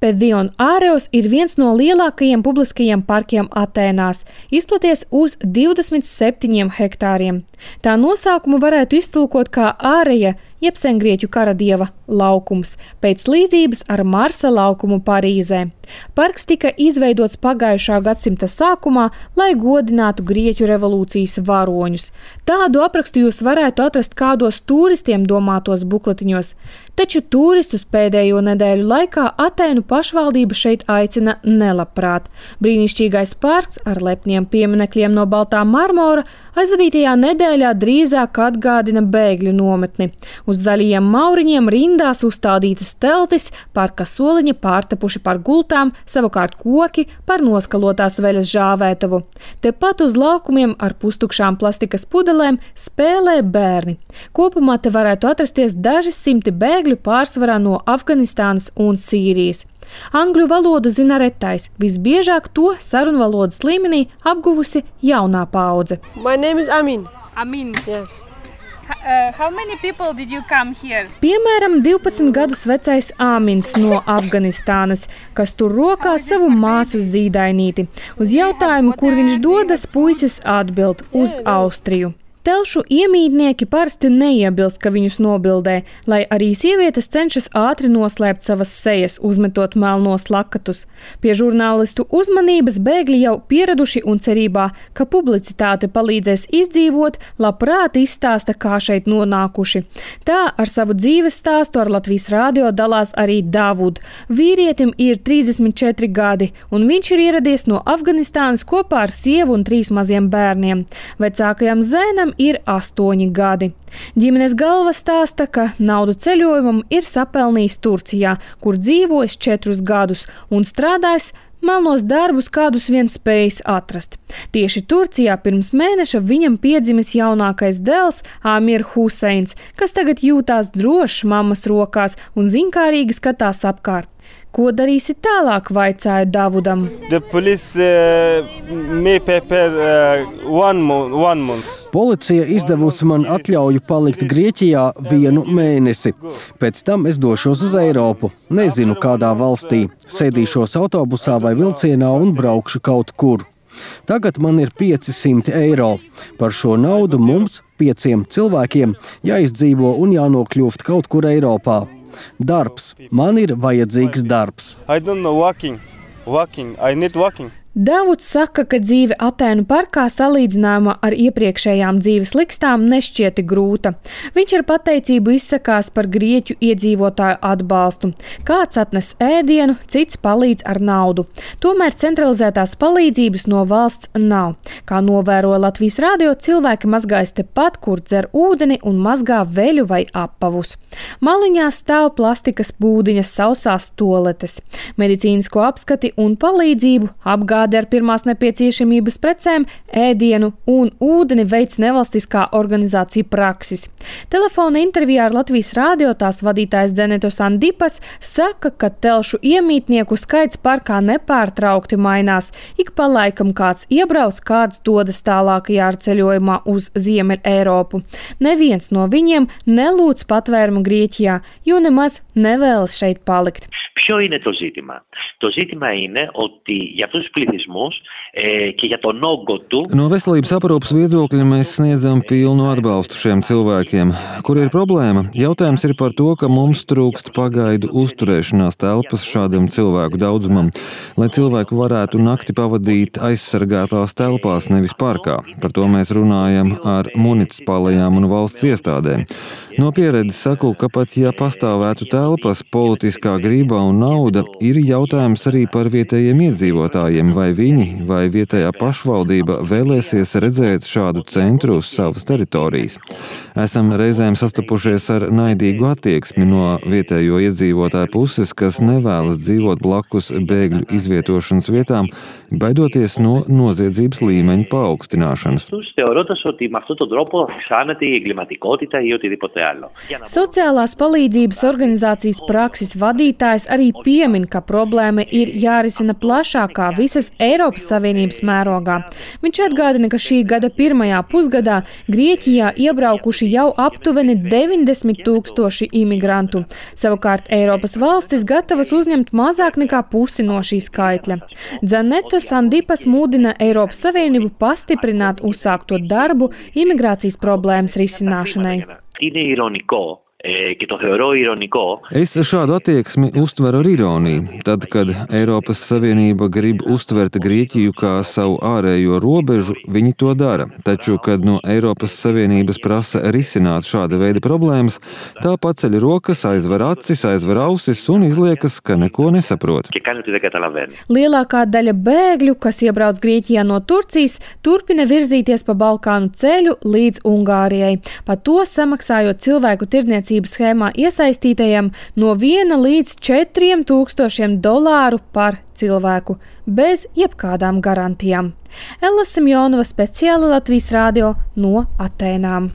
Pedion Āreos ir viens no lielākajiem publiskajiem parkiem Atēnās, izplaties uz 27 hektāriem. Tā nosaukumu varētu iztulkot kā āreja, jeb sengrieķu karadieva laukums, pēc līdzības ar Marsa laukumu Parīzē. Parks tika izveidots pagājušā gadsimta sākumā, lai godinātu Grieķu revolūcijas varoņus. Tādu aprakstu jūs varētu atrast kādos turistiem domātos bukletiņos, taču turistus pēdējo nedēļu laikā Atēnu pašvaldība šeit aicina nelabprāt. Brīnišķīgais parks ar lepniem pieminekļiem no baltā marmora aizvadītajā nedēļā drīzāk atgādina bēgļu nometni. Uz zaļajiem mauriņiem rindās uzstādītas teltis, parka soliņi pārtepuši par gultām, savukārt koki par noskalotās veļas žāvētavu. Tepat uz laukumiem ar pustukšām plastikas pudelēm spēlē bērni. Kopumā te varētu atrasties daži simti bēgļu, pārsvarā no Afganistānas un Sīrijas. Angļu valodu zina retais, visbiežāk to sarunvalodas līmenī apguvusi jaunā paudze. My name is Amin. Amin. Yes. How many people did you come here? Piemēram, 12 gadus vecais Āmins no Afganistānas, kas tur rokā savu māsas zīdainīti. Uz jautājumu, kur viņš dodas, puisis atbild uz Austriju. Telšu iemītnieki parasti neiebilst, ka viņus nobildē, lai arī sievietes cenšas ātri noslēpt savas sejas, uzmetot melnos lakatus. Pie žurnālistu uzmanības bēgļi jau pieraduši un cerībā, ka publicitāte palīdzēs izdzīvot, labprāt izstāsta, kā šeit nonākuši. Tā ar savu dzīves stāstu ar Latvijas radio dalās arī Davud. Vīrietim ir 34 gadi, un viņš ir ieradies no Afganistānas kopā ar sievu un 3 maziem bērniem. Vecākajam zēnam ir 8 gadi. Ģimenes galva stāsta, ka naudu ceļojumam ir sapelnījis Turcijā, kur dzīvojis 4 gadus un strādājis melnos darbus, kādus vien spējis atrast. Tieši Turcijā pirms mēneša viņam piedzimis jaunākais dēls Amir Huseins, kas tagad jūtās drošs mammas rokās un zinkārīgi skatās apkārt. Ko darīsi tālāk, vaicāja Davudam. Policija izdevusi man atļauju palikt Grieķijā 1 mēnesi. Pēc tam es došos uz Eiropu. Nezinu, kādā valstī. Sēdīšos autobusā vai vilcienā un braukšu kaut kur. Tagad man ir 500 eiro. Par šo naudu mums, 5 cilvēkiem, jāizdzīvo un jānokļūst kaut kur Eiropā. Darbs. Man ir vajadzīgs darbs. Davuds saka, ka dzīve Atēnu parkā salīdzinājumā ar iepriekšējām dzīves likstām nešķieti grūta. Viņš ar pateicību izsakās par grieķu iedzīvotāju atbalstu. Kāds atnes ēdienu, cits palīdz ar naudu. Tomēr centralizētās palīdzības no valsts nav. Kā novēroja Latvijas radio, cilvēki mazgājas tepat, kur dzer ūdeni un mazgā veļu vai apavus. Maliņā stāv plastikas būdiņas, sausās toaletes. Medicīnisko apskati un palīdzību apgādā ar pirmās nepieciešamības precēm, ēdienu un ūdeni veic nevalstiskā organizācija Praksis. Telefona intervijā ar Latvijas radio tās vadītājs Denetos Andipas saka, ka telšu iemītnieku skaits parkā nepārtraukti mainās. Ik pa laikam kāds iebrauc, kāds dodas tālākajā ar ceļojumā uz Ziemeļ Eiropu. Neviens no viņiem nelūdz patvērumu Grieķijā, jo nemaz nevēlas šeit palikt. Ποιο είναι το ζήτημα? Το ζήτημα είναι ότι για αυτούς τους πληθυσμούς και για τον όγκο του... No veselības aprūpes viedokļa mēs sniedzam pilnu atbalstu šiem cilvēkiem. Kur ir problēma? Jautājums ir par to, ka mums trūkst pagaidu uzturēšanās telpas šādam cilvēku daudzumam, lai cilvēku varētu nakti pavadīt aizsargātās telpās, nevis parkā. Par to mēs runājam ar municipālajām un valsts iestādēm. No pieredzes saku, ka pat ja pastāvētu telpas, politiskā grība un nauda, ir jautājums arī par vietējiem iedzīvotājiem, vai viņi vai vietējā pašvaldība vēlēsies redzēt šādu centru uz savas teritorijas. Esam reizēm sastapušies ar naidīgu attieksmi no vietējo iedzīvotāju puses, kas nevēlas dzīvot blakus bēgļu izvietošanas vietām, baidoties no noziedzības līmeņa paaugstināšanas. Sociālās palīdzības organizācijas Praksis vadītājs arī piemin, ka problēma problēma ir jārisina plašākā visas Eiropas Savienības mērogā. Viņš atgādina, ka šī gada pirmajā pusgadā Grieķijā iebraukuši jau aptuveni 90 000 imigrantu. Savukārt Eiropas valstis gatavas uzņemt mazāk nekā pusi no šī skaitļa. Dzaneto Sandipas mudina Eiropas Savienību pastiprināt uzsākto darbu imigrācijas problēmas risināšanai. Es šādu attieksmi uztveru ar ironiju. Tad, kad Eiropas Savienība grib uztvert Grieķiju kā savu ārējo robežu, viņi to dara. Taču, kad no Eiropas Savienības prasa risināt šāda veida problēmas, tā paceļ rokas, aizver acis, aizver ausis un izliekas, ka neko nesaprot. Lielākā daļa bēgļu, kas iebrauc Grieķijā no Turcijas, turpina virzīties pa Balkānu ceļu līdz Ungārijai. Pa to samaksājot cilvēku tirdzniecības schēmā iesaistītajiem no 1 līdz 4 $1000 par cilvēku, bez jebkādām garantijām. Ella Simjonova, speciāli Latvijas radio no Atēnām.